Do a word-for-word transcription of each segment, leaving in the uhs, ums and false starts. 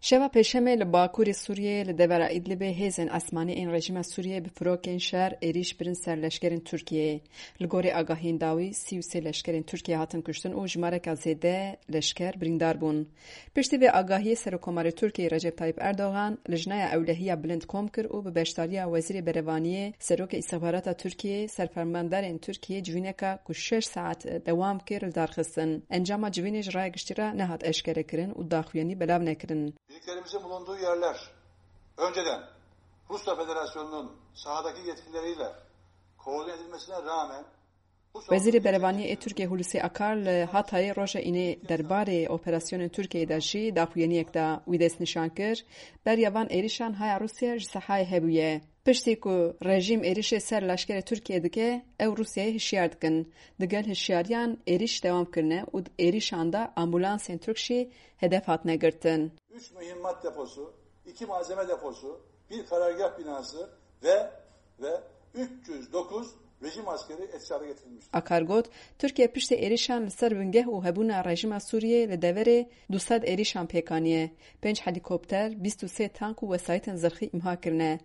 Şeva Pêşemê li bakurê Sûriyeyê li devera Îdlibê hêzên esmanî ên rejîma Sûriyeyê bi firokên şer êrîş birin ser leşkerên Tirkiyeyê. Li gorî agahiyên dawî, sî û sê leşkerên Tirkiyê hatin kuştin û jimareka zêde leşker birîndar bûn. Piştî vê agahiyê Serokkomarê Tirkiyeyê Recep Tayyip Erdogan lijneya ewlehiya bilind kom kir û bi beşdariya Wezîrê Berevaniyê, Serokê Îstixbarata Tirkiyeyê, ser fermandarên Tirkiyeyê civîneka ku şeş saet dewam kir li dar xistin. Encama civînê ji raya giştî re nehat eşkerekirin û daxuyanî belav nekirin. Birliklerimizin bulunduğu yerler önceden Rusya Federasyonu'nun sahadaki yetkilileriyle koordine edilmesine rağmen Wezîrê Berevaniyê ê Tirkiyê Hulusi Akar li Hatayê roja Înê derbarê operasyonên Tirkiyeyê de jî daxuyaniyek da. Wî destnîşan kir, beriya van êrîşan haya Rûsya ji sehayê hebûye. Piştî ku rejîm êrîşê ser leşkerê Tirkiyê dike, ew Rûsyayê hişyar dikin. Digel hişyariyan êrîş dewam kirine û di êrîşan de ambulansên Tirk jî hedef hatine girtin. Üç mühimmat deposu, iki malzeme deposu, bir karargah binası ve ve üç yüz dokuz rejim askeri etkisiz hale getirilmiştir. Akar got, Tirkiye piştî êrîşan li ser bingeh û hebûna rejîma Sûriyê li deverê du sed êrîşan pêk aniye, pênc helîkopter, bîst û sê tank û wesayîtên zirxî îmha kirine.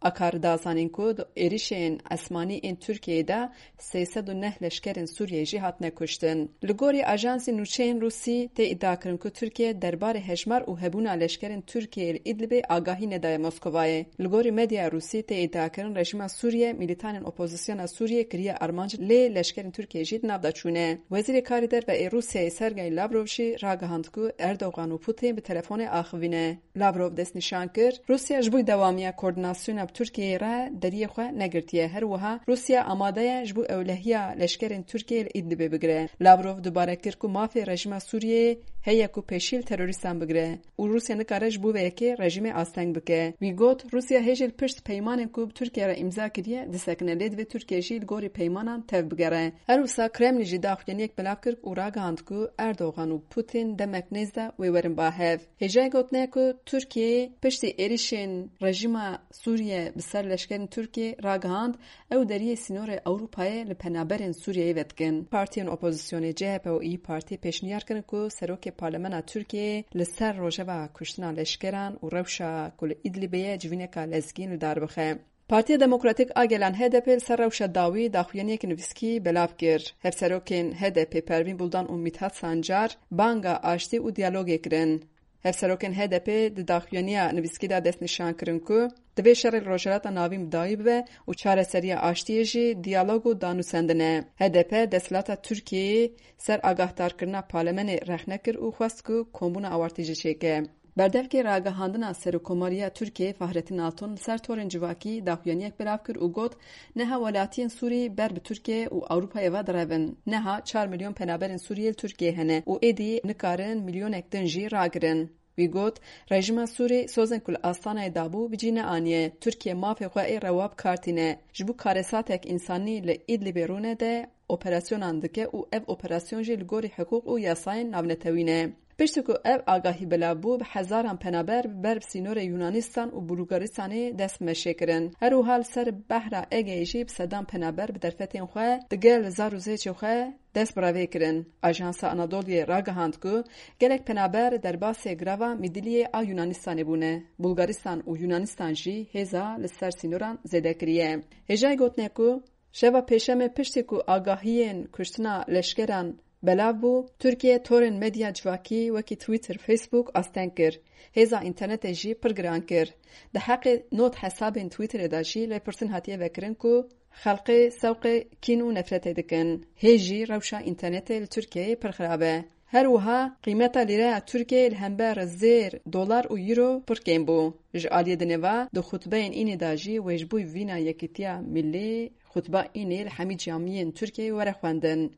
Akar da zanîn ku di êrîşên esmanî ên Tirkiyeyê de sê sed û neh leşkerên Sûriyeyê jî hatine kuştin. Li gorî ajansê nûçeyên Rûsî tê îdiakirin ku Tirkiye derbarê hejmar û hebûna leşkerên Tirkiyeyê li Îdlibê agahî nedaye Moskovayê. Li gorî medyaya Rûsî tê îdiakirin rejîma Sûriye mîlîtanên opozisyona Sûriyê kiriye armanc lê leşkerên Tirkiyeyê jî di nav de çûne. Wezîrê Karê Derve ê Rûsyayê Sergey Lavrov jî ragihand ku Erdogan û Putin bi telefonê axivîne. Lavrov destnîşan kir, Rûsya ji bo dewamiya koordînasyona bi Tirkiyeyê re deriyê xwe negirtiye. Her wiha Rûsya amade ye ji bo ewlehiya leşkerên Tirkiyeyê li Îdlibê bigire. Lavrov dubare kir ku mafê rejîma Sûriyeyê heye ku pêşî li terorîstan bigire û Rûsya nikare ji bo vê yekê rejîmê asteng bike. Wî got, Rûsya hêjî li pişt peymanên ku bi Tirkiye re îmza kiriye disekine, lê divê Tirkiye jî li gorî peymanan tev bigere. Her wisa Kremlî jî daxuyaniyek belav kir û ragihand ku Erdogan û Putin demek nêz de wê werin ba hev. Hêjayê gotinê ku Tirkiyeyê piştî êrîşên rejîma Sûriye bi ser leşkerên Tirkiyê ragihand, ew deriyê sînorê Ewropayê li penaberên Sûriyeyê vedikin. Partiyên opozisyonê C H P û İYİ Partî pêşniyar kirin ku serokê parlemena Tirkiyeyê li ser rojeva kuştina leşkeran û rewşa ku li Îdlibê ye civîneka lezgîn li dar bixe. Partiya Demokratîk a Gelan H D P li ser rewşa dawî daxuyaniyek nivîskî belav kir. Hevserokên H D P Pervîn Buldan û Mithat Sancar banga aştî û diyalogê kirin. Hevserokên H D P di daxuyaniya nivîskî de destnîşan kirin ku divê şerê li Rojhilata Navîn bi dawî bibe û çareseriya aştiyê jî diyalog û danûsendin e. H D P desthilata Tirkiyeyê ser agahdarkirina parlemenê rexne kir û xwest ku kombûna awartî jî çêke. Berdevkê ragihandina Serokkomariya Tirkiyeyê Fahrettin Altun li ser torên civakî daxuyaniyek belav kir û got, Niha welatiyên Sûrî ber bi Tirkiye û Ewropayê ve direvin. Niha çar milyon penaberên Sûriyê li Tirkiyeyê hene û êdî nikarin milyonek din jî ragirin. Wî got, Rejîma Sûrî sozên ku li Astanayê dabû bi cî neaniye. Tirkiye mafê xwe ê rewa bi kar tîne. Ji bo karesatek însanî li Îdlibê rûnede, operasyonan dike û ev operasyon jî li gorî hiqûq û yasayên navnetewî ne. Piştî ku ev agahî belav bû, bi hezaran penaber ber bi sînorê Yunanistanê û Bulgaristanê dest bi meşê kirin. Her wiha li ser behra Egeyê jî bi sedan penaber bi derfetên xwe digel zar û zêçê xwe dest bi revê kirin. Ajansa Anadoluyê ragihand ku gelek penaber derbasê girava Mîdiliyê a Yunanistanê bûne. Bulgaristan û Yunanistan jî hêza li ser sînoran zêde kiriye. Hêjayê gotinê ku Şeva Pêşemê piştî ku agahiyên kuştina leşkeran belav bû, Tirkiye torên medya civakî wekî Twitter, Facebook asteng kir. Hêza înternetê jî pir giran kir. Di heqê not hesabên Twitterê de jî lêpirsîn hatiye vekirin ku xelkê sewqê kîn û nefretê dikin. Hê jî rewşa înternetê li Tirkiyeyê pir xirab e. Her wiha qîmeta lîreya Tirkiyeyê li hember zêr, dolar û euro pir kêm bû. Ji aliyê dinê ve di xutbeyên înê de jî wê ji bo vîna yekîtiya milî xutba înê li hemî camiyên Tirkiyeyê were xwendin.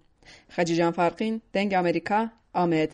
Xecîcan Farqîn, Dengê Amerîka, Amed.